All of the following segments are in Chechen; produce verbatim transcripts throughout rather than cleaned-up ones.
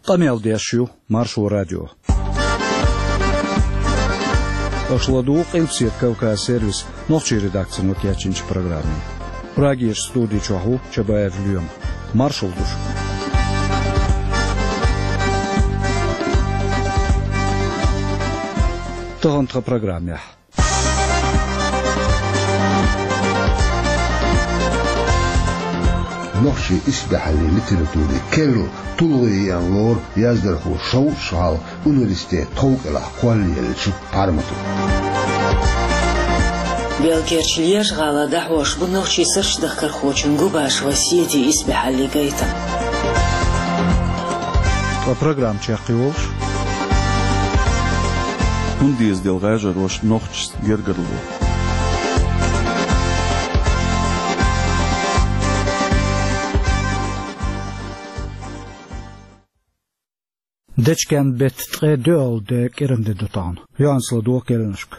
Къамел деш ю Маршо радио. Аша ладугӀу Къилбаседа Кавказ сервисан нохчийн редакцино кечйинчу программе. Прагерчу студи чохь ву Чабаев Лоьма. Маршалла ду шуьга. Тахана тхан программехь. Нохчийн исбаьхьаллин литературин керла тулгӀе еана лору яздархо шовзткъа шо хьалха университетан тхов кӀелахь кхоллаеллачу Пармато. Белгерчу Лежа-ГӀала дӀахьош бу нохчийн суртдахкархочун Губашева Седин исбаьхьаллин гайтам. Ткъа программа чекхйолуш: хӀунда деза делла гӀажароша нохчашца гергарло? Дечкен-беттан ткъе доьалгӀа де кӀиран де ду тахана. Йоанна ладогӀа кхаьънашка.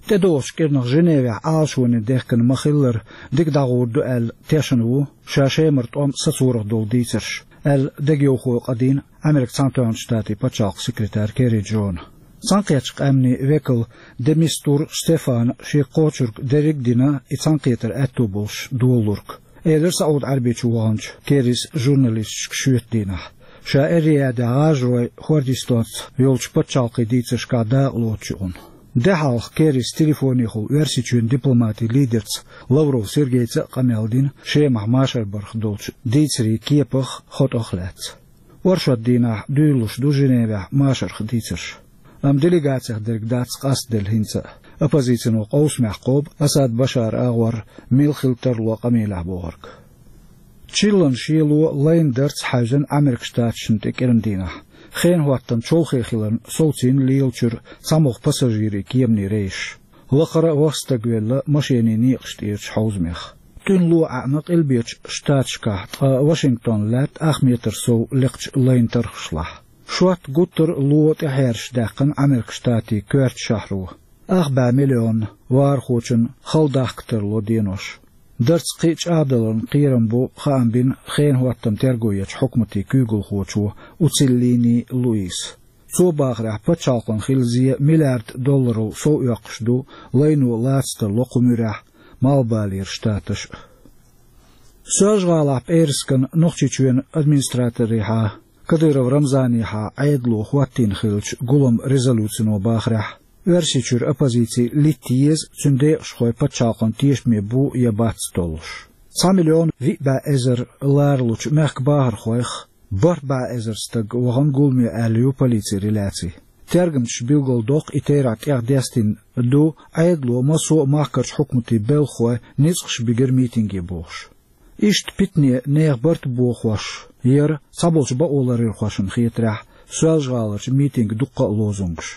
ТӀедогӀучу кӀирнах Женевехь Ӏалашоне дехкина ма-хиллара, дика дӀагӀур ду аьлла тешна ву, ша Шемара тӀом сацорах долу дийцарш, аьлла дегайовхо къадийна Америкин Цхьаьнатоьхначу Штатийн пачхьалкхан секретара Керри Джона. Цхьаьнакхеттачу къаьмнийн векала де Мистур Штефана шен кхочург дерриг а дина, и цхьаьнакхетар аьтто болуш долалург, элира СаӀуд-Ӏаьрбийчу ваханчу Керрис журналисташка шоьтан дийнахь. Ша Эр-Риядехь гӀажарой хӀордистонца йолчу пачхьалкхийн дийцаршкахь дакъа лоцучу юкъана. Де хьалха Керрис телефонехула Оьрсийчоьнан дипломатийн лидерца Лавров Сергейца а къамел дина Шемахь машар барх долчу дийцарийн кепах, хотӀах а лаьцна. Оршот дийнахь дуьйлалуш ду Женевехь машарх дийцарш. Амма делегацех дерг дац къастаделла хӀинца а, оппозицино къовсамехь кхобу Асад Башаран агӀор мила хила тарло къамелехь бохург. Чиллан шело лайна дарца хьаьвзина Америкин Штаташна тӀе кӀиран дийнахь. Хенан хӀоттам чолхе хиларна совцийна лелачуьра цхьамогӀа пассажирийн кеманийн рейсаш. Лакхара а ваха стаг велла машенийн некъаш тӀерачу хьовзамех. ТӀуьнан ло Ӏаьъна Къилбечу Штаташкахь, ткъа Вашингтон лаьтта ах метр сов лекхачу лайна тархашлахь. Шот гуттар а ло тӀехьераш даьккхина Америкин Штатийн коьртачу шахьаро. Ах бӀе миллион вахархочун хала дахка тарло денош. Дарца кхин а чӀагӀдаларна кхерам бу, хаам бина хенан хӀоттам терго ечу хьукматийн куьйгалхочо Уциллини Луиса. Цо бахарехь, пачхьалкхана хилла зе миллиард долларов сов оьккхуш ду лайно лаца тарло кху муьрехь Малхбалера штаташ а. Соьлжа-ГӀалахь пӀераскан Нохчийчоьнан администраторехьа Кадыров Рамзанехьа Ӏедало хӀоттийна хиллачу гулам резолюцино бахарехь, Оьрсийчуьра оппозици литта еза, цуьнан декъашхой пачхьалкхан тешаме бу я бац толлуш. Цхьа миллион виъ бӀе эзар ларалучу мехкан бахархойх бархӀ бӀе эзар стаг вахана гуламе аьлла ю полицин реляци. Тергамчаша билгалдоккху, и терахь тӀех дестина ду, Ӏедало массо а махкарчу хьукматийн белхахой ницкъаш бигира митинге бохуш. Иштта питане нехан барт бохош яра, цхьаболчу бакъоларъярхошна хетарехь, Соьлжа-ГӀаларчу митинган дуккха а лозунгаш.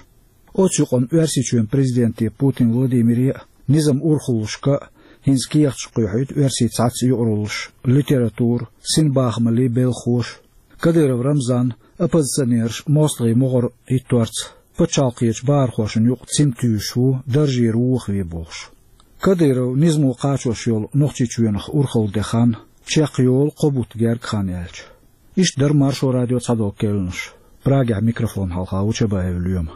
Оцу юкъана Оьрсийчоьнан президенте Путин Владимире а, низам урхаллашка а хӀинца кехаташ кхоьхьуьйту оьрсийн цхьацца юкъараллаш, литература, синбахамаллин белхахоша. Кадыров Рамзан оппозиционераш мостагӀийн могӀар хӀитторца пачхьалкхечу бахархошна юкъа цим туьйсуш ву, даржера вохаве бохуш. Кадыров низамо кхачош йолу Нохчийчоьнах урхалла де хан чекхйолу кхо бутт герга хан яьлча. Иштта дара Маршо радион цхьадолу кхаьънаш. Прагехь микрофон хьалха ву Чабаев Лоьма.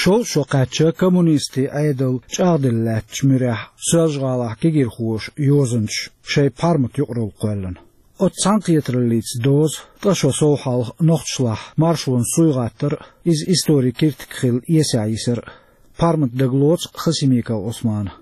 Шовзткъа шо кхаьчча, коммунистийн Ӏедал чӀагӀделла лаьттачу муьрехь, Соьлжа-ГӀалахь кегийрхоша йозанчаша шайн Пармат юкъаралла кхоьллина. Оцу цхьаьнакхетараллица доза, ткъа шо сов хьалха нохчашлахь маршонан суй гӀаттар а, иза историн киртиг хилла эсехь йисар а. Пармат дагалоцу Хасимиков Ӏусмана.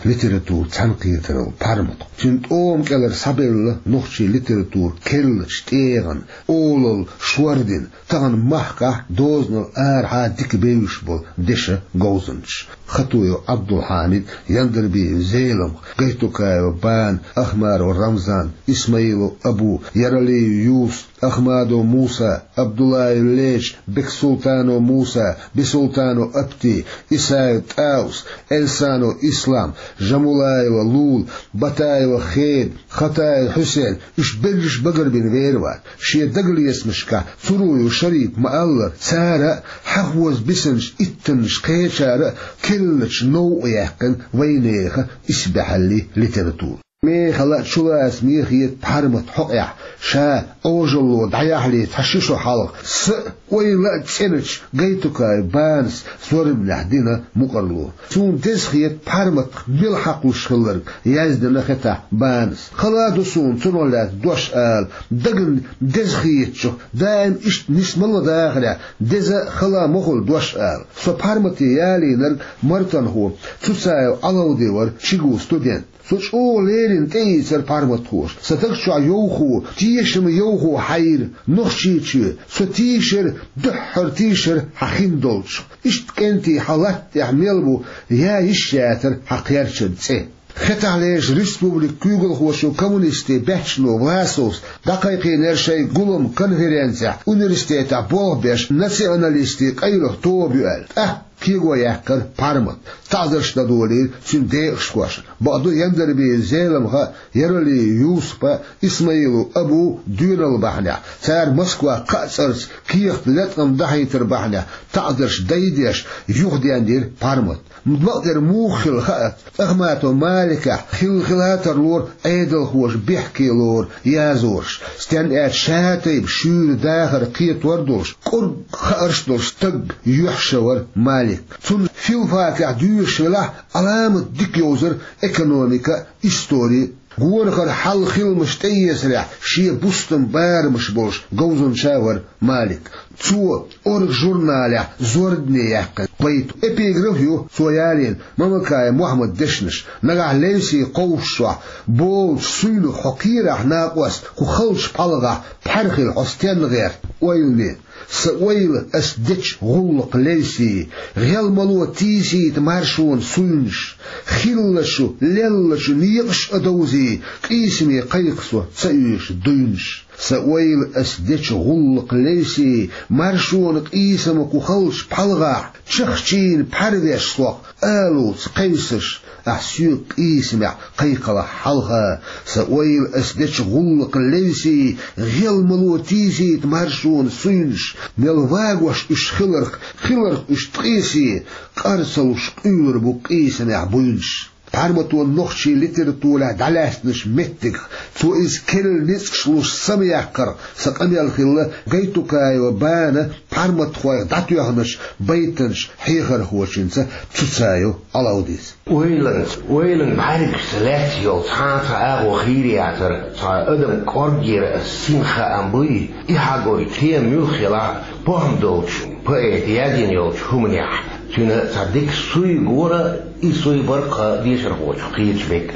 Литературан цхьаьнакхетаралла Пармат, цуьнан тӀома кӀелара схьабелла нохчийн литература керлачу тӀегӀан олалла шордина, тахана махкахь дозанал арахьа дика бевзаш болу дешан говзанчаш: Хатуев Ӏабдулхьамид, Яндарбиев Зелимха, Гайтукаев Бана, Ахмаров Рамзан, Исмаилов Абу, Яралиев Юсуп, Ахмадов Муса, Абдуллаев Леча, Бексултанов Муса, Бисултанов Апти, Исаев ТӀаус, Эльсанов Ислам, Жамулаева Лула, Батаева Хеда, Хатаев Хьусен, уьш берриш багарбина вер вац. Шен дагалецамашкахь Цуруев Шарип ма-аллара, цара а, хьахоза бисинчу иттаннаш кхечара а керлачу новкъа яьккхина вайнехан исбаьхьаллин литература. Мехала а чулацаме хета Пхьармат хьокъехь, ша Ӏожалло дӀаяхьале цхьа ши шо хьалха, са а, ойла а цӀеначу Гайтукаев Банас зорбанехь дина мукъарло. Суна деза хета Пхьарматах мила хьакхалуш хилларг, яздина хетахь Банас. Хала а ду суна цунах лаьцна дош ала, дагна деза хетачух, даим иштта нисмала дахарехь, деза а, хала а ма хуьлу дош ала. Со Пхьармате ялийнарг мартанхо Цуцаев Ӏалавди вара, ЧигУ студент. Со чӀогӀа леррина тӀеийцира пхьарматхоша. Сан даг чохь йовхо, тешаме йовхо хьан йира Нохчийчоь. Со тийшира, дуьххьара тийшира хьан хин долчух. Иштта кӀентий хьан латта тӀехь мел бу, яа йиш яцара хьан кхерчан цӀе. Хетахь леррина республикан куьйгалхочо, коммунистийн баьччано Власовс дӀакхайкхийнера шайн гулам конференцехь университетехь болх беш националистийн къайлаха тоба ю аьлла. ТӀаккха кего яьккхира Пхьармат. ТаӀзарш дан долийра цуьнан декъашхошна. Бакъду, Яндарбиев Зеламха а, Яралиев Юсупа а, Исмаилов Абу а доьналла бахьанехь, цара Москвахь кхаа цӀарца кехат латкъам дахьийтар бахьанехь таӀзарш дайдеш, юхаденйира Пхьармат. Бакъдерг муха хилла хаьа, Ахматов Маликехь хилла-хилла тарлора Ӏедалхоша бехке лору язораш, стенна аьлча ша тайпа шуьйра дахар кхетор а долуш, кӀург хаарш а долуш стаг юьхьӀаьржа вара Малик. Цунна филфакехь доьшуш велахь а, Ӏаламат дика йовзара экономика а, истори а. Горахара хьалха хиламаш тӀеэцарехь шен бустан барамаш болуш говзанча а вара Малик. Цо «Орга» журналехь зорбане яьккхина байт, эпиграф ю цо ялийна Мамакаев Мохьмадан дешнаш: «Нагахь левсий кховшашехь болчу суйнах хьо кхерахь, накъост, кху халчу пхьалгӀахь пхьаьрхилла хьо стенна гӀерта?» Ойлане: «Сан ойла ас дечу гӀуллакх левсий, гӀелмало тийсийта маршонан суйнаш, хиллачу, леллачу некъаш а довзий, къийсаме кхайкха со ца оьшу дуйнаш». Сан ойла ас дечу гӀуллакх левсий, маршонан къийсам кху халчу пхьалгӀахь, чахчийна пхьарвеш сох алуца кхевсаш, ахь соьга къийсамехь кхайкхалахь хьалха. Сан ойла ас дечу гӀуллакх левсий, гӀелмало тийсийта маршонан суйнаш, мел вагош уьш хиларх, хиларх уьш ткъесий, къар ца луш къуьйлур бу къийсамехь буйнаш. Пхьарматан нохчийн литературехь дӀалаьцначу меттигах, цо иза керла ницкъаш луш самаяккхарх сан къамел хилла Гайтукаева Бана пхьарматхойх дӀатоьхначу байтанчу хьехархочуьнца Цуцаев Ӏалавдица. Ойланца, ойлан бӀаьргашца лаьцна йолу цхьа а цхьа агӀо хийра яцара, цхьа адам кӀоргера ас син хаам буй, и хьагой тема муьлхха елахь а, похӀма долчу поэта яздина йолчу хӀуманехь, цуьнан цхьа дика суй гора, и суй баркха дешархочух кхеташ берг.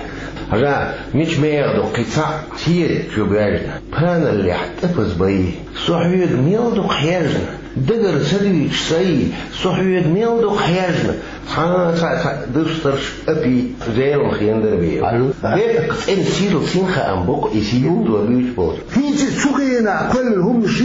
Хьажа, мича меха ду кхин цхьаъ седа чу боьжна, паналлехь тӀепаза бай. Со хьоьга мел дукха хьежна, дагара ца дуьйцуш сай, со хьоьга мел дукха хьежна, цхьа а цхьаъ дустарш Апи, Зеламха, Яндарбиев. Алло. Бехк цӀена сирла син хаам бу-кх и сийлалло буьйцуш болчу. ХӀинца а цу хенахь кхоьллина хӀуманаш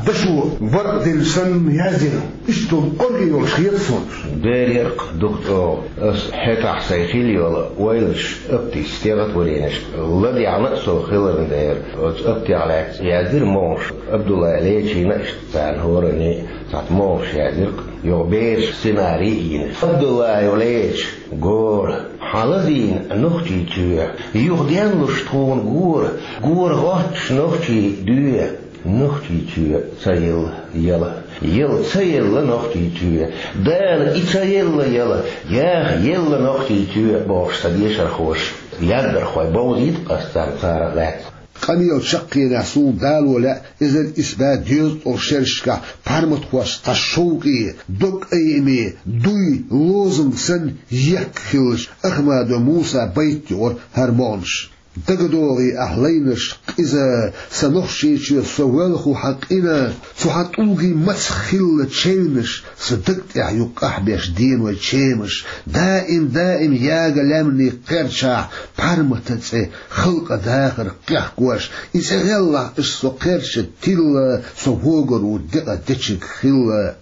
дашо баркъ дина санна яздина. Иштта кӀорге йолуш хета суна. Дера, дукха чӀогӀа. Ас хӀетахь сайн хилла йолу ойланаш Аптис стихотворенешка ладегӀна а со хиларна дера, оцу Аптех лаьцна яздира могӀаш, Абдуллаев Лечина а иштта. Царна хӀоранна цхьацца могӀаш яздира-кх, юха бераш сценарий а йина. Абдуллаев Леча, гора. Хьан лазийна нохчийн чоь, юха денлуш тхуна гора, гора гӀоттуш нохчийн доь. Нохчийн чоь ца елла, яла, яла ца елла нохчийн чоь. Дала и ца елла, яла, яха елла нохчийн чоь, бохуш сан дешархоша, яздархой бовзийта-кх ас царна, царах лаьцна. Къамелан чаккхенехь суна дало лаьа эзар исс бӀе дезткъа шерашкахь пхьарматхошца цхьа шовкъе, дог айаме, дуй, лозунг санна ехк хиллачу Ахмадов Мусан байт юкъара хӀара могӀанаш. ДагадогӀий ахь лайнарш къиза, сан Нохчийчоь со воьлху хьан къина, цу хьан тӀулгийн мацах хилла чевнаш, сан даг тӀехь ю къахьбеш денойн чемаш, даим-даим яга лаьмнийн кхерчахь пхьарматан цӀе халкъан дахарх кхехкош, и цӀе гӀеллахь аш со кхерча тилла, со вогар ву декъа дечиг хилла.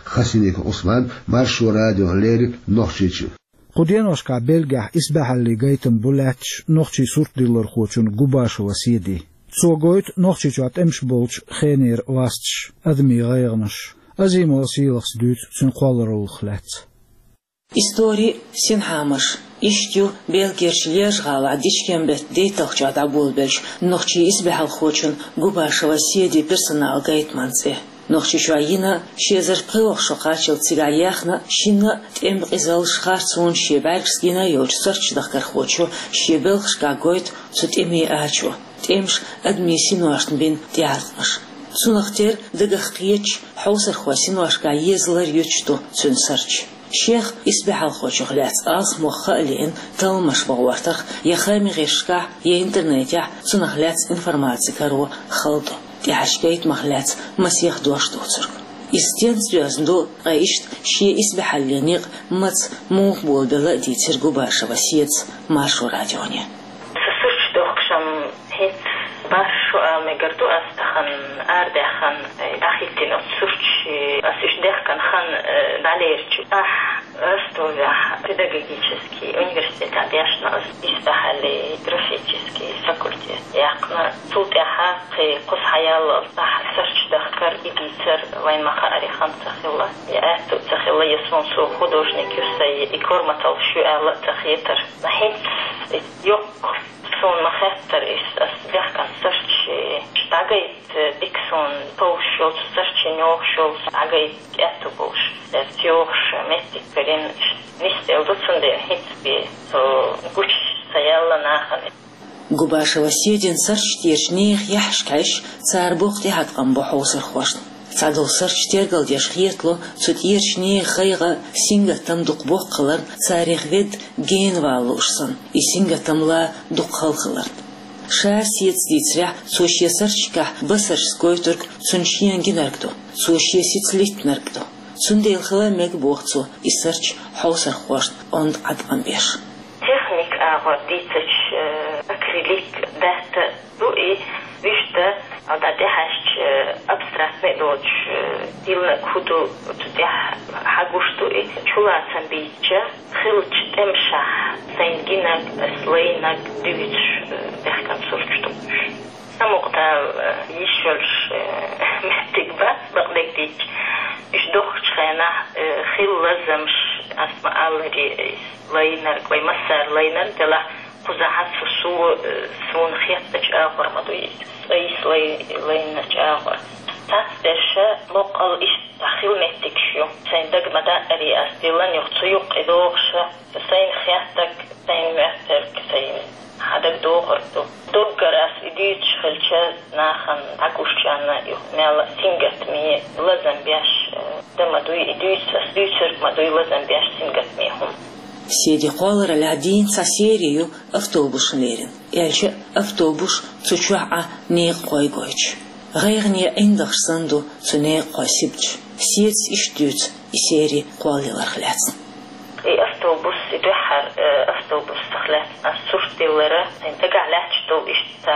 Хасимиков Ӏусман, Маршо радиона леррина, Нохчийчоь. Кху деношкахь Бельгехь исбаьхьаллин гайтам бу лаьтташ нохчийн суртдиллархочун Губашева Седин. Цо гойту Нохчийчохь тӀемаш болчу хенера ласташ, адамийн гӀайгӀанаш. Азимова Сийлахас дуьйцу цуьнан кхоллараллах лаьцна. Истори, синхьамаш, иштта ю Бельгерчу Льеж-гӀалахь Дичкем-беттан дейтталгӀачохь дӀаболабеллачу нохчийн исбаьхьалхочун Губашева Седин персоналан гайтаман цӀе. Нохчийчохь йина, ши эзар пхоьалгӀа шо кхаччалц цигахь яьхна, шина а тӀеман къизаллаш, харцонаш шен бӀаьргашца гина йолчу суртдохкархочо шен белхашкахь гойту цу тӀемийн ачо, тӀемаша адамийн синошна бина тӀеӀаткъамаш. Цунах тера дагах кхеташ, хьовсархойн синошкахь езалар юьтуш ду цуьнан сурташ. Шех исбаьхьалхочух лаьцна алсамох хаа лиъна талламаш бан гӀортарх я хаамийн гӀирсашкахь, я интернетехь цунах лаьцна информаци каро хала ду, тӀаьхьарчу гайтамах лаьцна масех дош дувцург. Иза стенца доьзна ду, ткъа иштта шен исбаьхьаллин некъ маца, муха болабелла а дийцира Губашева Седас Маршо радионе. Со сурташ дохкуш-м хӀинца бархӀ шо ала мегар ду ас, тахана арадаьхна, дӀахӀиттина оцу сурташ, ас уьш дехкина хан, э, дӀалерча. Ахь Ростовехь педагогический университетехь дешна ас, исбаьхьаллин графический факультет яьккхина. Цул тӀаьхьа кхин кхуза схьаяллалц ахь сурташ дахкар, и дийцар вайна ма-хаъара хан ца хилла, я аьтту ца хилла, я суна со художник ю сан, я и корматаллаш ю аьлла а ца хетара. ХӀинца йоккха суна ма-хеттара иза, ас дехкина сурташ дӀагайта дика суна, товш йолчу суртийн йогӀуш йолчу дӀагайта аьтту болуш. Церца йогӀуш меттиг карийна, нисделла ду, цундела хӀинца бен со гучуш ца яьлла нахана. Губашева Седин сурташ тӀерачу нехан яххьашка хьаьжча, цара боккха тӀеӀаткъам бо хьовсархошна. Цхьадолу сурташ тергалдеш хетало цу тӀерачу нехан гӀайгӀа, сингаттам дукха боккха хиларна, царах ведда генавала лууш санна, и сингаттам лан дукха хала хиларна. Ша Седас дийцарехь, цо шен сурташкахь басаршца гойтург цунна шена гинарг ду, цо шен сица литтинарг ду. Цундела хила а мега, боху цо, и сурташ хьовсархошна онда Ӏаткъам беш. Техник агӀор дийцича, э, акрилик, датта ду и, вуьшта, а, дӀа тӀехьаьжча, э, абстрактный доцуш, э, диллинарг хӀун ду, цу тӀехь хьагуш ду и, чулацам бийцича, хиллачу тӀемашкахь сайна гинарг, ас лайнарг дуьйцуш, э, дехкина сурташ ду уьш. Самукъадала, э, йиш йолуш, э, меттиг бац, бакъдерг дийцича. Уьш дохкучу хенахь, э, хилла лазамаш, ас ма-аллара, э, лайнарг вай массара лайнарг делахь, кхузахь со, со, э, суна хеттачу агӀор ма ду иза, ас лай-, лайначу агӀор. Цхьацца дерш боккъал иштта хилла меттигаш ю. Сайн дага ма даьара ас диллина юха цу юккъе догӀуш, сайна хеттарг, сайна моьттург, сайна хьан дага догӀург ду. Доггара ас и дуьйцуш хилча, нахана дӀагуччарна юха мел сингаттаме, лазам беш, э, дан ма дуй и дуьйцу, ас дуьйцург ма дуй лазам беш сингаттаме хӀума. Седин кхоллараллехь дийна цхьа сери ю автобусашна лерина. Аьлча а, автобусаш цу чохь Ӏа некъахой гойтуш. ГӀайгӀане ӀиндагӀаш санна ду цу некъахойн сибаташ. Седас иштта дуьйцу и сери кхоллаяларх лаьцна. И автобус, и дуьххьара, э, автобусах лаьцна ас сурт диллира, сайн дагахь лаьтташ долу иштта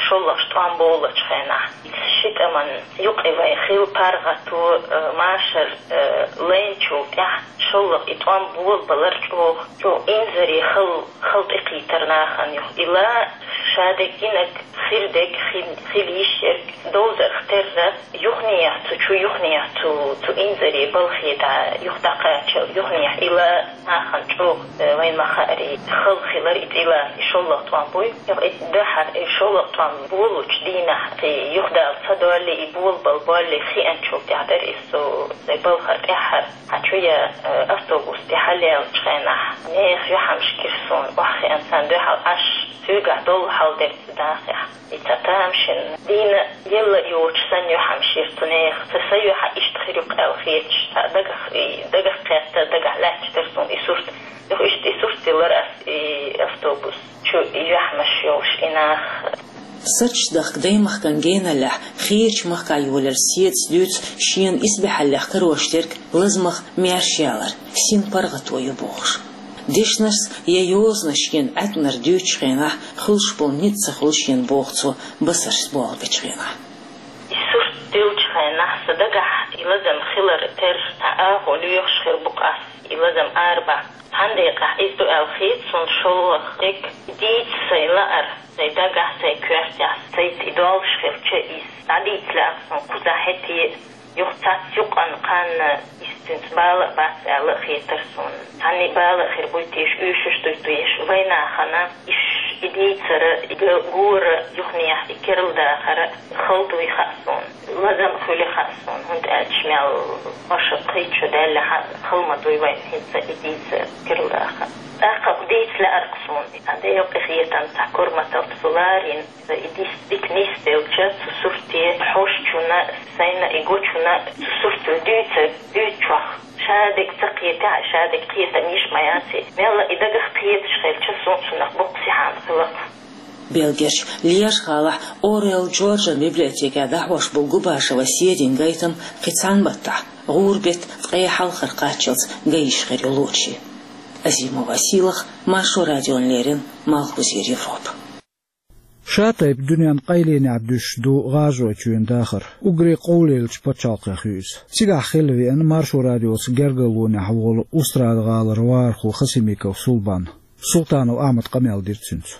шолгӀачу тӀом болучу хенахь. Ши тӀаман юкъе вайн хилла паргӀато, э, машар, э, лайначул тӀаьхьа шолгӀа и тӀом болабалар чӀогӀа, чӀогӀа инзаре хала, хала тӀекхийтар нахана юха. Ила ша деггинарг, хир дерг, хи-, хила йиш ерг, довзарх терра, юханехьа цу чу, юханехьа цу, цу инзаре балхе дӀа, юха дӀакхаччалц, юханехьа ила нахана чӀогӀа, э, вайн ма-хаъара, хала хилар и цӀила, и шолгӀа тӀом буй. Юха и дуьххьара, и шолгӀа тӀом болучу дийнахь, и юхадала ца доллий, и болабала боллий хиъначул тӀаьхьа дара иза со, сайн балхара тӀаьххьара. Хьан чу я, э, автобус тӀе хьалаеллачу хенахь, нехан юьхьамаш гира суна, охьахиъна царна дуьхьал Ӏаш, цуьнгахь долу хьал дерг ца дахехь. И цхьа тамашийна дийна елла йоцуш санна юьхьамаш йира цу нехан. Сан, сан юьхь иштта хир ю-кх аьлла хеташ, цхьа дагах, и дагах кхетта, дагахь лаьтташ дара суна и сурт. Юха иштта и сурт диллира ас, и автобус чу, и юьхьамаш йолуш, и нах. Сурташ дахка даймахкан геналлехь, кхечу махкахь йолаелла Седас дуьйцу шена исбаьхьаллех карош дерг лазамах маьрша ялар, син паргӀато ю бохуш. Дешнаш я йозанаш шена Ӏаьткъинарг дуьйцучу хенахь, хуьлуш болу ницкъ ца хуьлу шена боху цо басаршца болх бечу хенахь. И сурт диллачу хенахь сан дагахь и лазам хилар тера, цхьа агӀо лоьхуш хир бу-кх ас. И Лазам арабаха, цхьана декъехь иза ду аьлла хета суна шолгӀа дерг, дийца сайн лаар, сайн дагахь, сайн коьртехь, сайца и долуш хилча иза. ДӀадийца лаьа суна кхузахь хӀетте, юха цац юкъана кханна, иза цуьнца бала а бац аьлла а хетара суна. Цхьанна бала а хир буй теша, уьйшуш дуй теша, вайнахана иш и дийцара, и гора юханехь и керла дахара хала дуй хаьа суна. Лазам а хуьлу хаьа суна, хӀунда аьлча мел ваша кхечу даьлла хьан хала ма дуй вайн хӀинца и дийца керла даха. ТӀаккха дийца лаьара суна, и цхьа декъа хетан цхьа корматалц ларийна, и дис дика нисделча, цу сурте хьошучунна, сайна и гочунна цу суртал дуьйца, дуьйцучохь. Шадерг ца кхетахь, шадерг кхетам йиш ма яц и. Мелла и дагах кхеташ хилча, суна цунах боккха сихьана хилла. Белгерчу Лерчу гӀалахь Орел Джорджан библиотекехь дӀахьош болу Губашева Седин гайтам кхин цхьана маттахь, гӀуран беттан ткъе хьалхара кхаччалц ган йиш хир ю лоьрийн. Азимова Сийлаха, Маршо радиона леррина, Малхбузера Европа. Ша тайпа дуьненан къайленехь дуьсуш ду ГӀажаройчоьнан дахар. Уггаре къовлаеллачу пачхьалкхех ю иза. Цигахь хилла веана Маршо радиоца гергарлонехь волу Устрада-гӀалара вахархо Хасимиков Сулбан. Султанов Ахьмада къамел дира цуьнца.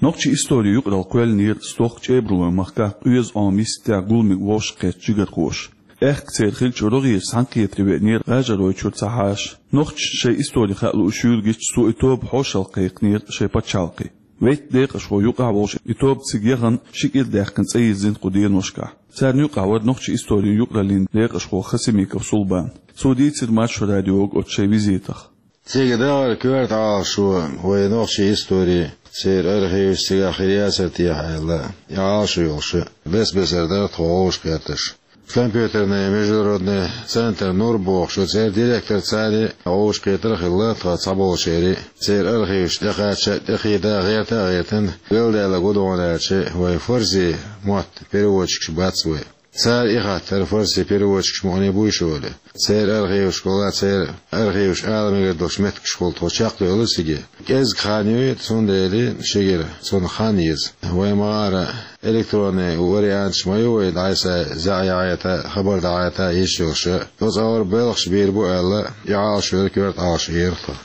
Нохчийн историн юкъаралла кхоьллинера стохка ЧӀебарлойн махкахь, къоьза Ӏоман йистехь гуламиг вовшахкхетта жигархоша. Аьхка церан хиллачу рогӀера цхьаьнакхетаре веанера ГӀажаройчуьра цхьа хьаша. Нохчашна шайн истори хаа лууш юьйлла гича, цо и тоба хьошалгӀа кхайкхинера шайн пачхьалкхе. Вейтта декъашхо юкъахь а волуш, и тоба цига яхана, ши кӀира даьккхина цӀе йирзина кху деношкахь. Царна юкъахь вара нохчийн историн юкъараллин декъашхо Хасимиков Сулбан. Цо дийцира Маршо радиога оцу шайн визитах. Цига дахара коьрта Ӏалашо вайн нохчийн истори, церан архиваш цигахь хир яцара техьа аьлла, и Ӏалашо йолуш, бес-бесара дара тхо вовшахкхетташ. Компьютерный международный центр «Нур» бохуш, церан директор цара вовшахкхетар а хилла, тхан цхьаболчеран церан архиваш тӀекхача а, тӀекхета а, гӀерта а гӀертина, галдаьлла гу догӀун аьлча, вайн фарси мотт переводчикаш бац вай. Цара и хаттар, фарси переводчикаш мукъане буй шоле. Церан архивашкахула, церан архиваш ала мегар долчу меттигашкахула тхо чекхдевлла цига. КӀезиг хан ю, цундела шегара цунах хан еза. Вай ма-гӀара электронный варианташ ма ю вай дӀасаяхьа, хабар дӀахьаьта йиш йолуш. Оцу агӀор белхаш бийр бу аьлла, и Ӏалашо яра, коьрта Ӏалашо яра тхан.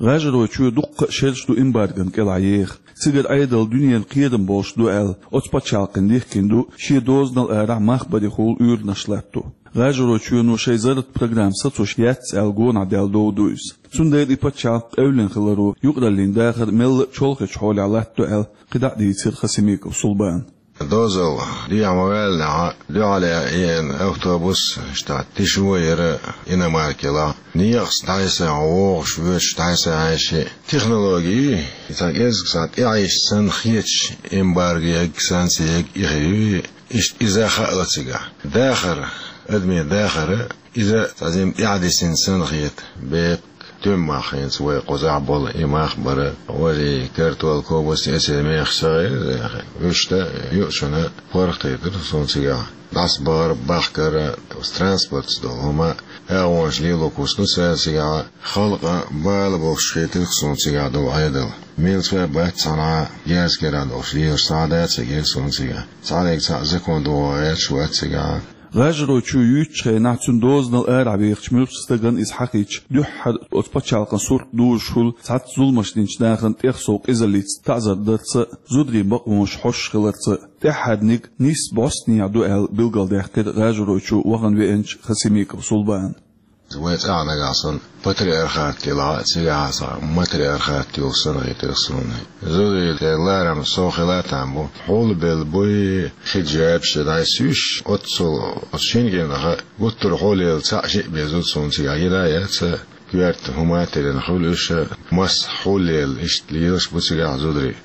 ГӀажаройчоь дуккха а шераш ду эмбаргон кӀелахь еха. Цигара Ӏедал дуьненан кхерам болуш ду аьлла, оцу пачхьалкхана дихкина ду, шен дозанал арахь мах барехула уьйранаш латто. ГӀажаройчоьно шайн зарратан программа сацош яц аьлла гонахь даьлла дов ду иза. Цундела и пачхьалкх къевлина хиларо юкъараллин дахар мелла а чолхечу хьолехь латтадо аьлла, кхидӀа а дийцира Хасимиков Сулбана. Дозалла дехьа ма-ваьллинехь, дуьхьал а еана автобус, иштта тиша вон яра иномарка елахь. Некъаца дӀасаяхьа вогӀуш, воьдуш дӀасаяхьа ши технологи, цхьа кӀезиг цхьа тӀеӀаьшча санна хеташ, эмбарго ягга, санкци ягга, и хир ю, иштта иза хаала цигахь. Дахар, адамийн дахар, иза цхьа зима тӀаьхьадисина санна хета, беккъа. Туьма мах хӀинца вай кхузахь болу и мах бара, вари, картол, ковбас, эцех мех ца гӀайра, вуьшта юучунна паргӀатайтира суна цигахь. ДӀасабахар, бахкар, транспортца долу хӀума, агӀонаш лело куьйсу цара цигахь, халкъан бала бохуш хетира суна цигахь долу Ӏедал. Мелца а бац цхьанхьа, герз кера долуш лелаш цхьа а дац цига суна цигахь. Цхьаьнниг цхьаъ закон догӀа гӀерташ вац цигахь. ГӀажаройчоь юьйцучу хенахь, цуьнан дозанал арахь вехачу муьлххачу стагана иза хьахийча, дуьххьара оцу пачхьалкхан сурт дужуш хуьлу цхьацца зуламаш динчу нахана тӀех сов къизаллица таӀзар дарца а, зударийн бакъонаш хьош хиларца а. ТӀаьххьарниг нийсса бӀостанехьа ду аьлла билгалдаьккхира ГӀажаройчу вахана веанчу Хасимиков Сулбана. Вай цӀахь нагахь санна патриархат елахь а, цигахь а цхьа матриархат йолуш санна хетира суна. Зударий, тера ларам сов хила а там бу. Хьулбелла буй, хиджабаш дӀасуьйш, оццул оцу шина генахь гуттар а хьулъелла цхьаъ-шиъ беза суна цигахь гина а яц, коьрта хӀума а тиллина хуьлу уьш, масса хьулъелла иштта лелаш бу цигахь зударий.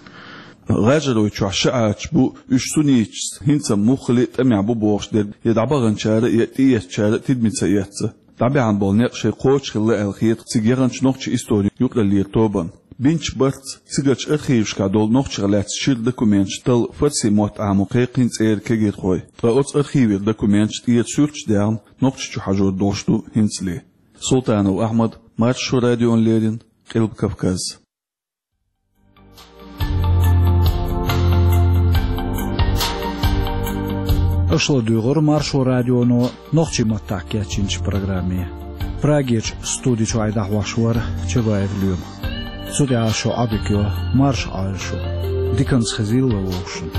ГӀажаройчохь ши Ӏачаш бу, уьш сунниташца хӀинца муххале а тӀамехь бу бохуш дерг, я дӀабаханчара, я тӀеэцначара тидаме ца эцна. ДӀабаьхьна болу некъ шайн кхочушхилла аьлла хета цига яханчу нохчийн историн юкъараллера тобанна. Бинчу барца, цигарчу архивашкахь долу нохчех лаьцна шира документаш талла фарси мотт Ӏамо кхайкхийна цӀера кегирхой. Ткъа оцу архивера документаш тӀера суьрташ даьхна, нохчашчу хьажор долуш ду хӀинцале. Султанов Ахьмад, Маршо радиона леррина, Къилба Кавказ. Аша ладуьйгӀира Маршо радионо нохчийн маттахь кечйинчу программе. Прагерчу студи чуьхь дӀахьош вара Чабаев Лоьма. Цу тӀехь шун Ӏодика йо, марша Ӏойла шу, диканца хезийла вовшашна.